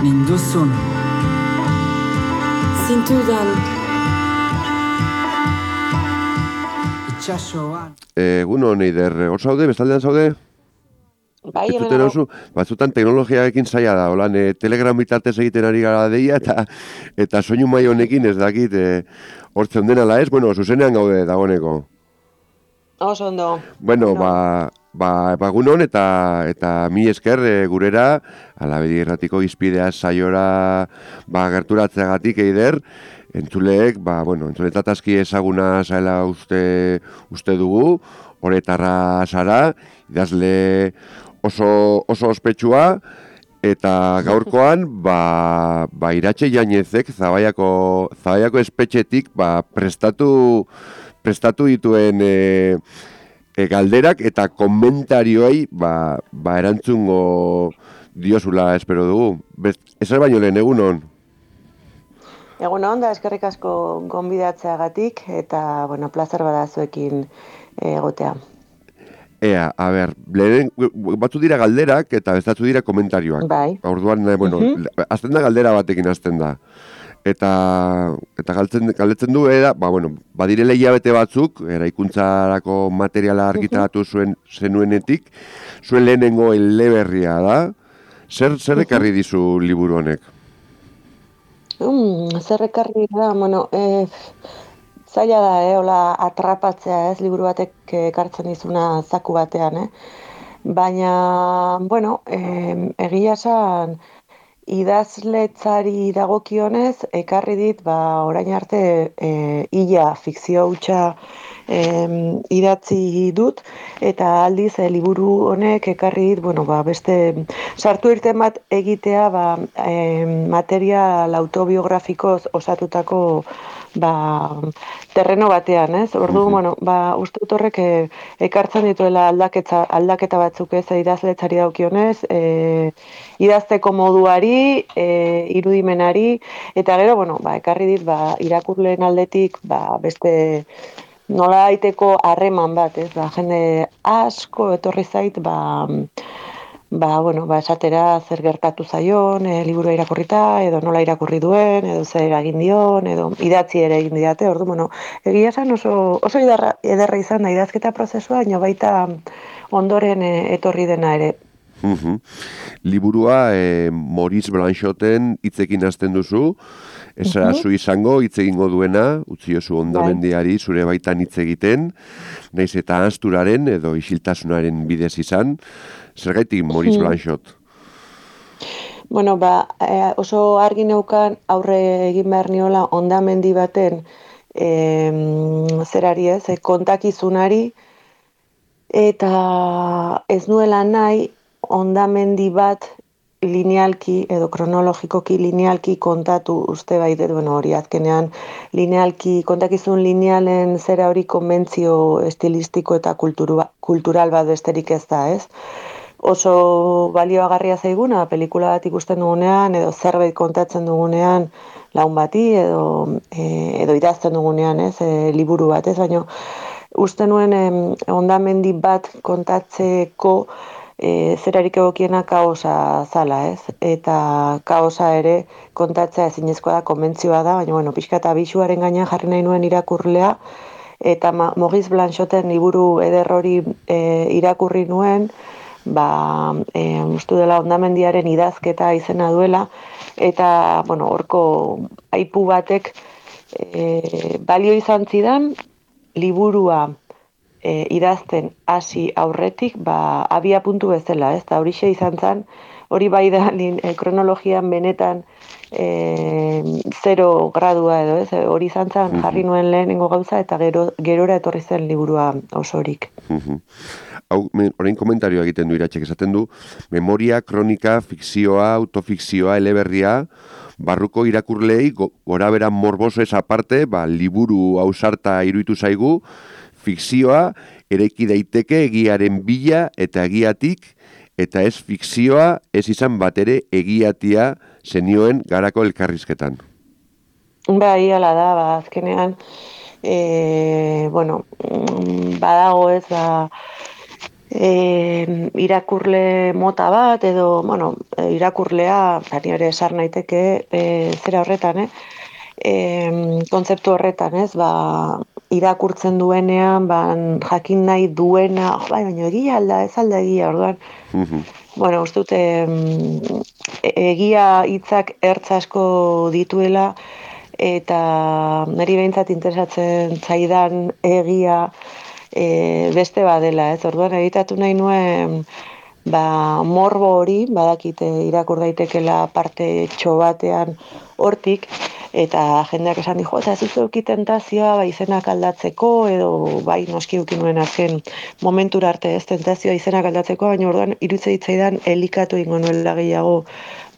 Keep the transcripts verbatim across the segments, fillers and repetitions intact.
ninduzun zintudan itxasoan. Egun hon, Eider, hor zaude, bestaldean zaude? Bai, hemen Entzuten hauzu, batzutan teknologiarekin zaila da, holan, e, telegram bitartez egiten ari gara deia, eta eta soinu mai honekin ez dakit, e, hortzen denala ez, bueno, zuzenean gaude dagoeneko. Oso ondo. Bueno, ba, ba, bagunon eta eta mi esker e, gurera, Alabedi Irratiko izpidea saiora ba, gerturatzeagatik, Eider, entzuleek, ba, bueno, entzuletat aski ezaguna zaila uste, uste dugu, horretarra zara, idazle oso, oso ospetsua, eta gaurkoan, ba, ba Iratxe Jainezek, Zabaiako, Zabaiako espetxetik, ba, prestatu, prestatu dituen e, e, galderak eta komentarioei ba, ba erantzungo diozula espero dugu. Bez, ezer baino lehen, egunon? Egunon, da eskerrik asko gonbidatzeagatik eta, bueno, plazer bada zuekin egotea. Ea, a ber, lehen, batzu dira galderak eta bestatzu dira komentarioak. Bai. Orduan, bueno, uh-huh. azten da galdera batekin azten da. Eta eta galtzen galdetzen du era, ba bueno, badirela hilabete batzuk eraikuntzarako materiala argitaratu zuen zenuenetik, zuen lehenengo eleberria da. Zer zer ekarri dizu liburu honek? Mm, zer ekarri da, bueno, eh zaila da, eh, hola atrapatzea, ez, liburu batek ekartzen dizuna zaku batean, eh. Baina, bueno, eh, egia esan idazletzari dagokionez, ekarri dit, ba, orain arte e, ia fikzio hutsa e, idatzi dut, eta aldiz e, liburu honek ekarri dit, bueno, ba, beste sartu irten bat egitea, ba, e, material autobiografikoz osatutako ba, terreno batean, ez? Ordu, bueno, ba, uste dut horrek e, ekartzen dituela aldaketa, aldaketa batzuk ez idazletzari daukionez, e, idazteko moduari, e, irudimenari, eta gero, bueno, ba, ekarri dit, ba, irakurleen aldetik, ba, beste nola daiteko harreman bat, ez? Ba, jende asko etorri zait, ba, ba, bueno, ba, esatera zer gertatu zaion, e, liburua irakurrita, edo nola irakurri duen, edo zer egin dion, edo idatzi ere egin diate, ordu, bueno, egia esan oso, oso ederra, ederra izan da idazketa prozesua, baina baita ondoren e, etorri dena ere. Uhum. Liburua e, Maurice Blanchoten hitzekin hasten duzu, ez uh-huh. zu izango hitz egingo duena, utzi oso hondamendiari zure baitan hitz egiten, naiz eta ahazturaren edo isiltasunaren bidez izan, zergaitik Maurice uh-huh. Blanchot? Bueno, ba, oso argi neukan aurre egin behar niola hondamendi baten e, zerari ez, kontakizunari, eta ez nuela nahi hondamendi bat linealki edo kronologikoki linealki kontatu uste baitet, bueno, hori azkenean linealki, kontakizun linealen zera hori konbentzio estilistiko eta kulturu, kultural bat besterik ez da, ez? Oso balioagarria zaiguna, pelikula bat ikusten dugunean, edo zerbait kontatzen dugunean, laun bati, edo, e, edo idazten dugunean, ez, e, liburu bat, ez, baina uste nuen eh, hondamendi bat kontatzeko e, zerarik egokiena kaosa zala, ez? Eta kaosa ere kontatzea ezinezkoa da, konbentzioa da, baina, bueno, pixka eta bisuaren gainean jarri nahi nuen irakurlea, eta Maurice Blanchoten liburu eder hori e, irakurri nuen, ba, e, ustu dela hondamendiaren idazketa izena duela, eta, bueno, horko aipu batek e, balio izan zidan, liburua e, idazten hasi aurretik, ba, abia puntu bezala, ez? Eta horixe izan zen, hori bai da lin, e, kronologian benetan e, zero gradua edo, ez? Hori izan zen jarri nuen lehenengo gauza, eta gero, gerora etorri zen liburua osorik. Hau, orain komentarioa egiten du Iratxek, esaten du, memoria, kronika, fikzioa, autofikzioa, eleberria, barruko irakurlei gora bera morboso ez aparte, ba, liburu ausarta iruditu zaigu, fikzioa eraiki daiteke egiaren bila eta egiatik, eta ez fikzioa ez izan bat ere egiatia zenioen garako elkarrizketan. Bai, hala da, ba, azkenean, e, bueno, badago ez, ba, e, irakurle mota bat, edo, bueno, irakurlea, bari ere esar naiteke, e, zera horretan, eh? E, kontzeptu horretan, ez, ba, irakurtzen duenean, ba, jakin nahi duena, oh, bai, baina egia alda, ez alda egia, orduan, bueno, uste dute, egia hitzak ertz asko dituela, eta niri behintzat interesatzen zaidan egia e, beste badela, ez? Orduan egitatu nahi nuen ba, morbo hori, badakite irakur daitekela parte txobatean hortik, eta jendeak esan dijo, eta ez duzu tentazioa ba, izenak aldatzeko, edo bai noski uki nuen azken momentura arte ez tentazioa izenak aldatzeko, baina orduan irutze hitzaidan elikatu ingo nuela gehiago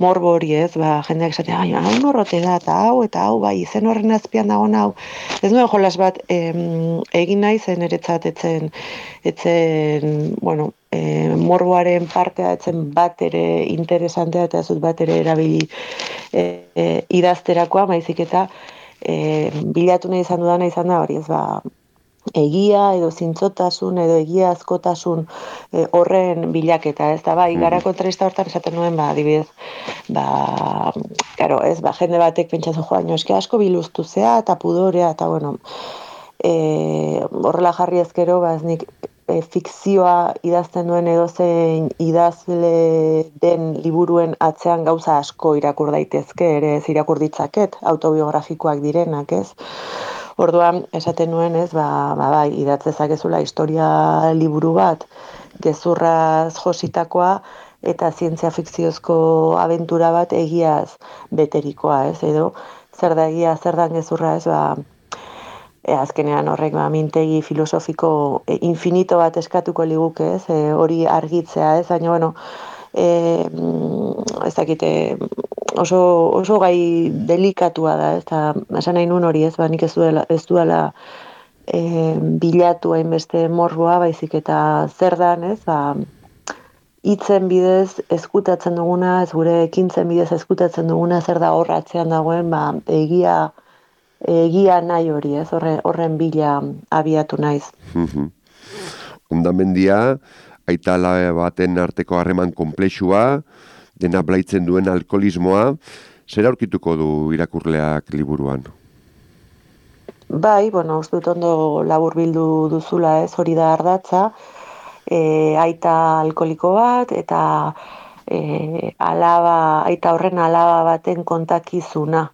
morbo hori, ez, ba, jendeak esatea, baina hau norrote da, eta hau, eta hau, bai, izen horren azpian dagoen hau. Ez nuen jolas bat em, egin nahi zen eretzat etzen, etzen, bueno, e, morboaren partea etzen bat ere interesantea, eta ez dut bat ere erabili e, e, idazterakoa, baizik eta e, bilatu nahi izan dudana izan da hori, ez ba, egia edo zintzotasun edo egia askotasun e, horren bilaketa, ez da, bai, gara kontrarista hortan esaten nuen, ba, adibidez, ba, claro, ez, ba, jende batek pentsatzen joan, eske asko biluztu zea, eta pudorea, eta, bueno, e, horrela jarri ezkero, ba, ez nik, e, fikzioa idazten duen edozein idazle den liburuen atzean gauza asko irakur daitezke, ere ez irakur ditzaket, autobiografikoak direnak, ez? Orduan, esaten nuen, ez, ba, ba, bai, idatzezakezula historia liburu bat, gezurraz jositakoa, eta zientzia fikziozko abentura bat egiaz beterikoa, ez, edo, zer da egia, zer da gezurra, ez, ba, e, azkenean horrek, ba, mintegi filosofiko e, infinito bat eskatuko liguke, ez, e, hori argitzea, ez, baina, bueno, e, ez dakite, oso, oso gai delikatua da, ez da, esan nahi nun hori, ez, ba, nik ez duela, ez duela e, bilatu hainbeste morboa, baizik eta zer dan, ez, ba, hitzen bidez eskutatzen duguna, ez gure ekintzen bidez eskutatzen duguna, zer da horratzean dagoen, ba, egia, egia nahi hori, ez, horren, horren bila abiatu naiz. Hondamendia, aita alabe baten arteko harreman konplexua, dena blaitzen duen alkoholismoa, zer aurkituko du irakurleak liburuan? Bai, bueno, uste dut ondo labur bildu duzula, ez, hori da ardatza, e, aita alkoholiko bat, eta e, alaba, aita horren alaba baten kontakizuna,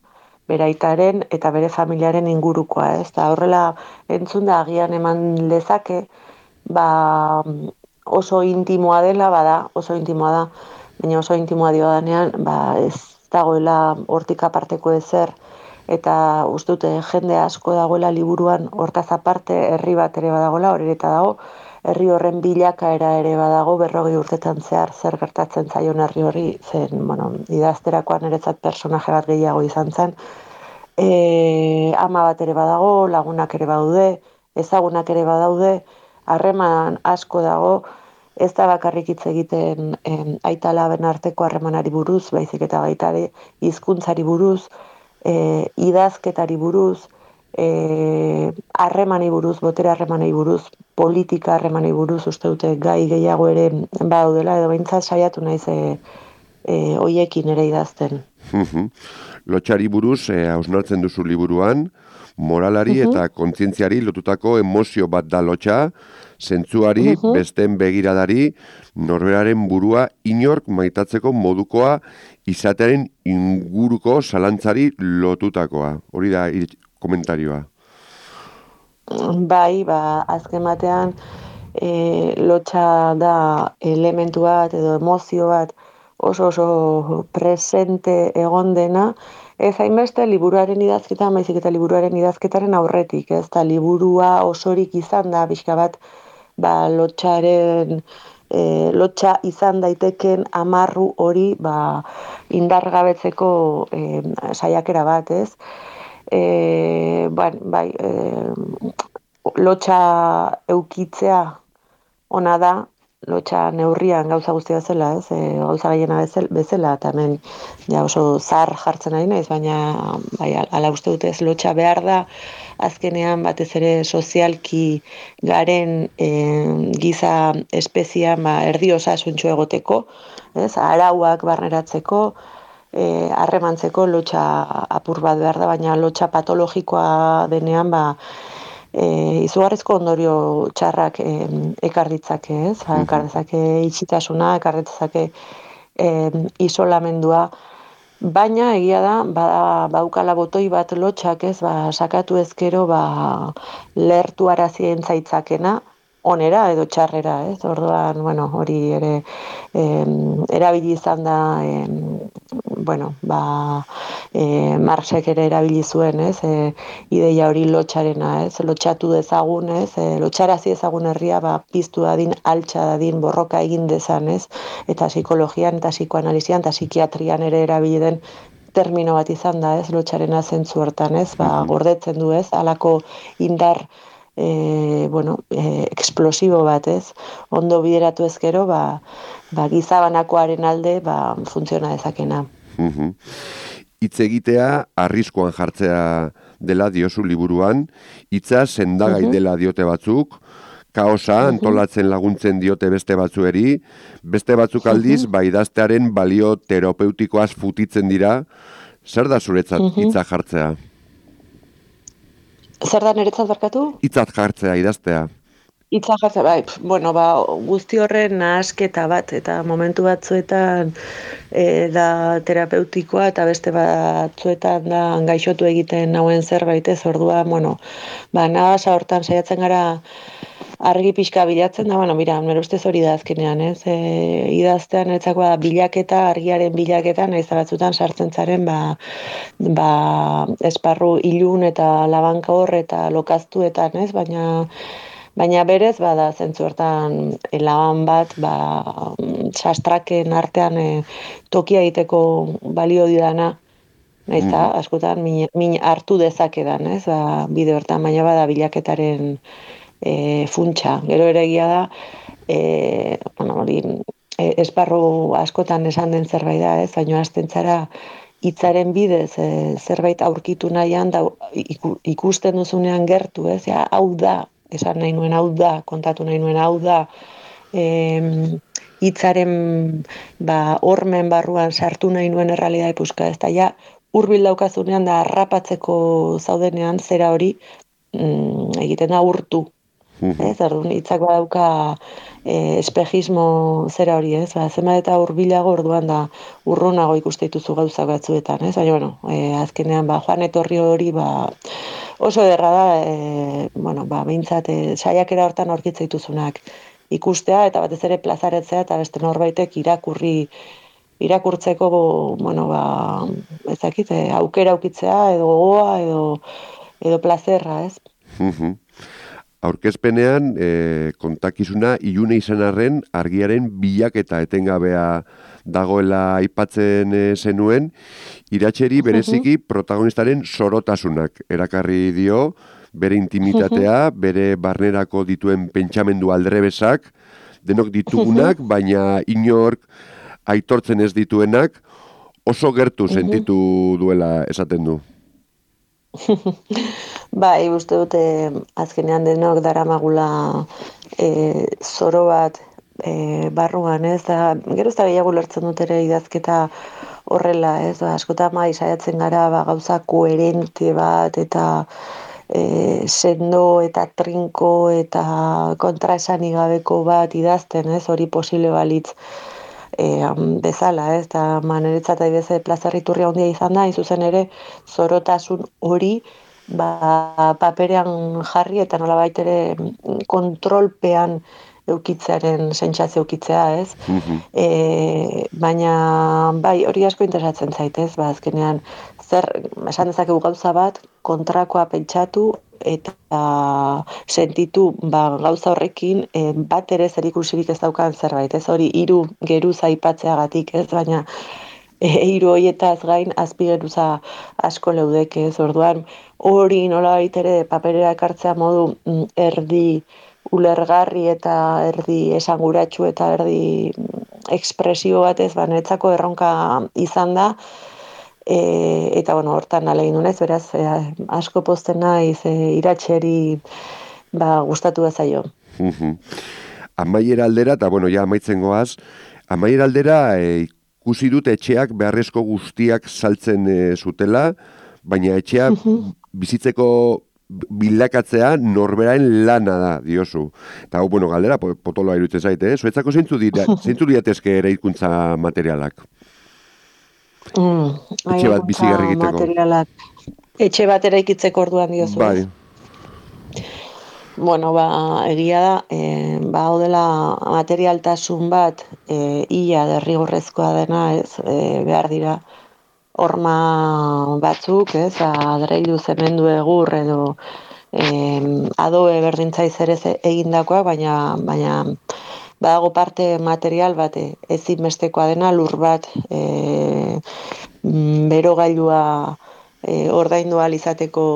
bere aitaren eta bere familiaren ingurukoa, ez, eta horrela entzun da agian eman lezake, ba, oso intimoa dela, bada, oso intimoa da, baina oso intimoa dio danean, ba, ez dagoela hortik aparteko ezer, eta uste dute jende asko dagoela liburuan hortaz aparte herri bat ere badagoela, hori eta dago, herri horren bilakaera ere badago, berrogei urtetan zehar zer gertatzen zaion herri hori, zen, bueno, idazterakoan eretzat personaje bat gehiago izan zen, e, ama bat ere badago, lagunak ere badaude, ezagunak ere badaude, harreman asko dago, ez da bakarrik hitz egiten em, aita alaben arteko harremanari buruz, baizik eta baita ere hizkuntzari buruz, e, idazketari buruz, harremanei e, buruz, botere harremanei buruz, politika harremanei buruz, uste dute gai gehiago ere badaudela, edo behintzat saiatu naiz e, e, hoiekin ere idazten. Lotxari buruz, e, hausnartzen duzu liburuan, moralari uh-huh. eta kontzientziari lotutako emozio bat da lotxa, zentzuari, uh-huh. besten begiradari, norberaren burua inork maitatzeko modukoa izatearen inguruko zalantzari lotutakoa. Hori da komentarioa. Bai, ba, azken batean e, lotxa da elementu bat edo emozio bat oso oso presente egon dena, ez hainbeste liburuaren idazketan, baizik eta liburuaren idazketaren aurretik, ez da liburua osorik izan da, bizka bat, ba, lotxaren, e, lotxa izan daiteken amarru hori, ba, indargabetzeko e, saiakera bat, ez? E, ba, bai, e, lotxa eukitzea ona da, lotxa neurrian gauza guztia bezala, ez, e, gauza gehiena bezala, eta hemen ja oso zar jartzen ari naiz, baina bai, ala uste dut ez, lotxa behar da, azkenean batez ere sozialki garen e, giza espezian ba, erdi osasuntxu egoteko, ez, arauak barneratzeko, harremantzeko e, lotxa apur bat behar da, baina lotxa patologikoa denean ba, E, izugarrizko ondorio txarrak e, ekar ditzake, ez? Ba, ekar dezake itxitasuna, ekar ditzake e, isolamendua, baina egia da, ba, baukala botoi bat lotxak, ez? Ba, sakatu ezkero, ba, lertu arazien zaitzakena, onera edo txarrera, ez? Orduan, bueno, hori ere em, erabili izan da, em, bueno, ba, e, Marxek ere erabili zuen, ez? E, ideia hori lotxarena, ez? Lotxatu dezagun, ez? E, lotxarazi ezagun herria, ba, piztu dadin, altxa dadin, borroka egin dezan, ez? Eta psikologian, eta psikoanalizian, eta psikiatrian ere erabili den termino bat izan da, ez? Lotxarena zentzu hortan, ez? Ba, gordetzen du, ez? Halako indar E, bueno, e, eksplosibo bat, ez? Ondo bideratu ezkero, ba, ba, gizabanakoaren alde ba, funtziona dezakena. Hitz egitea arriskuan jartzea dela diozu liburuan, hitza sendagai uh-huh. dela diote batzuk, kaosa antolatzen laguntzen diote beste batzueri, beste batzuk aldiz, uh-huh. ba, idaztearen balio terapeutikoaz futitzen dira, zer da zuretzat hitza uh-huh. jartzea? Zer da niretzat barkatu? Hitzat jartzea, idaztea. Hitzat jartzea, bai, bueno, ba, guzti horren nahasketa bat, eta momentu batzuetan e, da terapeutikoa, eta beste batzuetan da gaixotu egiten nauen zerbait, ez ordua, bueno, ba, nahasa hortan saiatzen gara argi pixka bilatzen da, bueno, mira, nire ustez hori da azkenean, ez? E, idaztean etzakoa bilaketa, argiaren bilaketa, nahiz batzutan sartzen zaren, ba, ba, esparru ilun eta labanka hor eta lokaztuetan, ez? Baina, baina berez, bada, zentzu hortan laban bat, ba, sastraken artean e, tokia egiteko balio didana, nahiz da, mm. askotan min, min hartu dezakedan, ez? Ba, bide hortan, baina bada bilaketaren E, funtsa, gero ere egia da e, bueno, hori, e, esparru askotan esan den zerbait da, ez, baina hasten zara hitzaren bidez e, zerbait aurkitu nahian da iku, ikusten duzunean gertu, ez, ja, hau da, esan nahi nuen hau da, kontatu nahi nuen hau da, hitzaren ba, hormen barruan sartu nahi nuen errealidade puska, ez da, ja, hurbil daukazunean da harrapatzeko zaudenean zera hori mm, egiten da urtu. Ez, orduan hitzak badauka e, espejismo zera hori, ez? Ba, zema eta hurbilago orduan da urrunago ikuste dituzu gauzak batzuetan, ez? Baina, bueno, e, azkenean, ba, joan etorri hori, ba, oso ederra da, e, bueno, ba, behintzat, e, saiakera hortan aurkitze dituzunak ikustea, eta batez ere plazaretzea, eta beste norbaitek irakurri, irakurtzeko, bo, bueno, ba, ezakit, e, aukera aukitzea, edo gogoa, edo, edo plazerra, ez? Mhm. Aurkezpenean, e, kontakizuna ilune izan arren argiaren bilaketa etengabea dagoela aipatzen e, zenuen, iratxeri bereziki protagonistaren sorotasunak erakarri dio, bere intimitatea, bere barnerako dituen pentsamendu aldrebesak, denok ditugunak, baina inork aitortzen ez dituenak, oso gertu sentitu duela esaten du. Bai, uste dute azkenean denok daramagula e, zoro bat e, barruan, ez da, gero ez da gehiago lertzen dut ere idazketa horrela, ez da, askotan mai saiatzen gara ba, gauza koherente bat eta e, sendo eta trinko eta kontraesanik gabeko bat idazten, ez, hori posible balitz e, bezala, ez da, maneretzat aibeze plazarriturria handia izan da, izuzen ere zorotasun hori ba, paperean jarri eta nolabait ere kontrolpean eukitzearen sentsazio eukitzea, ez? Mm-hmm. E, baina bai, hori asko interesatzen zait, ez? Ba, azkenean zer esan dezakegu gauza bat kontrakoa pentsatu eta sentitu ba, gauza horrekin e, bat ere zerikusirik ez daukan zerbait, ez? Hori hiru geruz aipatzeagatik, ez? Baina hiru horietaz gain azpigeruza asko leudeke, ez? Orduan hori nolabait ere paperera ekartzea modu mm, erdi ulergarri eta erdi esanguratsu eta erdi ekspresio batez, ba, netzako erronka izan da, e, eta bueno, hortan alegin naiz, beraz, e, asko pozten naiz e, iratxeri ba, gustatu da zaio. Amaiera aldera, eta bueno, ja amaitzen goaz, amaiera aldera e, ikusi dut etxeak beharrezko guztiak saltzen e, zutela, baina etxea bizitzeko bilakatzea norberain lana da, diozu. Eta hau, bueno, galdera, potoloa iruditzen zaite, eh? Zuetzako zeintzu dira, zeintzu diatezke eraikuntza materialak? Mm, etxe bat bizigarri egiteko. Materialak. Etxe bat eraikitzeko orduan diozu. Bai. Bueno, ba, egia da, e, ba, odela materialtasun bat, e, ia derrigorrezkoa dena, ez, e, behar dira, horma batzuk, ez, adreilu zemendu egur edo eh, adobe berdintzaiz ere egindakoa, baina baina badago parte material bat ezinbestekoa dena lur bat eh, berogailua eh, ordaindu ahal izateko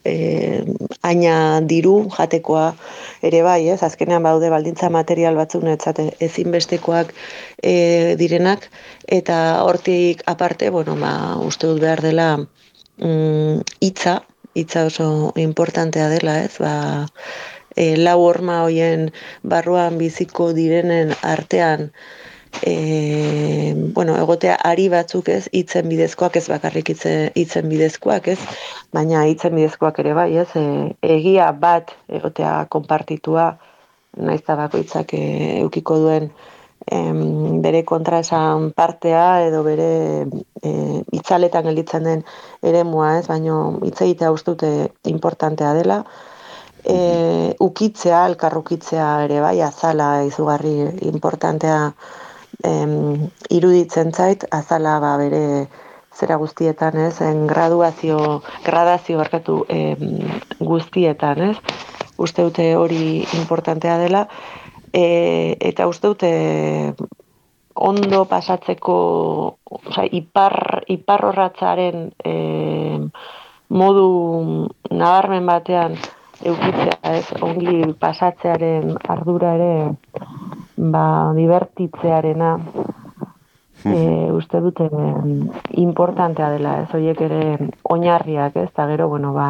eh, aina diru jatekoa ere bai, ez, azkenean baude baldintza material batzuk netzate ezinbestekoak e, direnak, eta hortik aparte, bueno, ba, uste dut behar dela mm, hitza, hitza oso importantea dela, ez, ba, e, lau horma hoien barruan biziko direnen artean, E, bueno, egotea ari batzuk, ez, hitzen bidezkoak, ez bakarrik hitze, hitzen bidezkoak, ez, baina hitzen bidezkoak ere bai, ez, e, egia bat egotea konpartitua, naiz eta bakoitzak e, eukiko duen em, bere kontraesan partea edo bere e, itzaletan gelditzen den eremua, ez, baina hitz egitea uste dute importantea dela. E, ukitzea, elkarrukitzea ere bai, azala izugarri importantea Em, iruditzen zait, azala ba, bere zera guztietan, ez, en graduazio, gradazio barkatu em, guztietan, ez, uste dute hori importantea dela, e, eta uste dute ondo pasatzeko, oza, ipar, iparrorratzaren e, modu nabarmen batean eukitzea, ez, ongi pasatzearen ardura ere, ba, divertitzearena e, uste dute importantea dela, ez, horiek ere oinarriak, ez, eta gero, bueno, ba,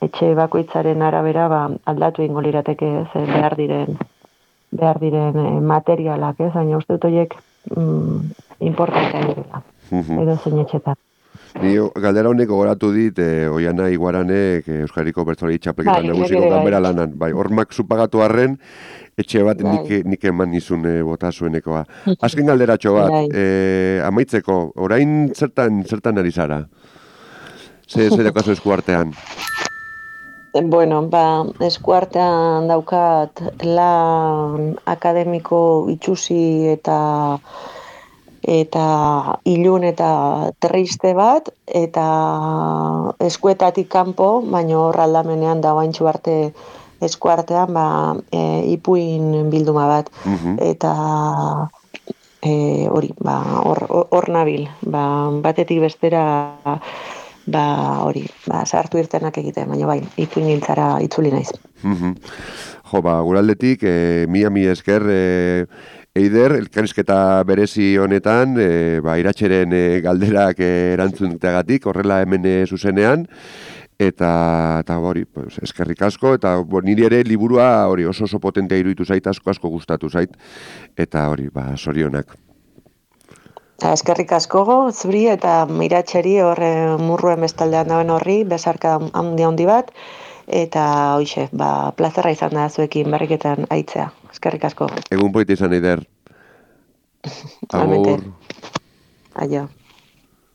etxe bakoitzaren arabera, ba, aldatu ingo lirateke, ez, behar diren, behar diren e, materialak, ez, baina uste dut horiek mm, importantea dela, edo zein etxetan. Ni galdera honek gogoratu dit, e, Oiana Iguaranek e, Euskadiko Bertsolari Txapelketan nagusiko ganbera lanan. Bai, hormak supagatu arren, etxe bat nik, nik eman nizun e, bota zuenekoa. Azken galderatxo bat, e, amaitzeko, orain zertan, zertan ari zara? Ze, ze daukazu eskuartean? Bueno, ba, eskuartean daukat lan akademiko itxusi eta eta ilun eta triste bat, eta eskuetatik kanpo, baina hor aldamenean dagoaintxu arte eskuartean, ba, e, ipuin bilduma bat, uh-huh. eta e, hori, ba, hor, hor nabil, ba, batetik bestera, ba, hori, ba, sartu irtenak egiten, baina bai, ipuin gintzara itzuli naiz. Uh-huh. Jo, ba, guraldetik, e, mila mila esker, e, Eider, elkarrizketa berezi honetan, e, ba, iratxeren e, galderak e, erantzunteagatik, horrela hemen e, zuzenean, eta, eta hori, pues, eskerrik asko, eta bo, niri ere liburua hori oso oso potentea iruditu zait, asko asko gustatu zait, eta hori, ba, sorionak. Eskerrik asko zuri eta iratxeri horre murruen bestaldean dauen horri, besarka handi handi bat, eta hoixe, ba, plazerra izan da zuekin berriketan aitzea. Eskerrik asko. Egun poite izan, Eider. Agur. Aio.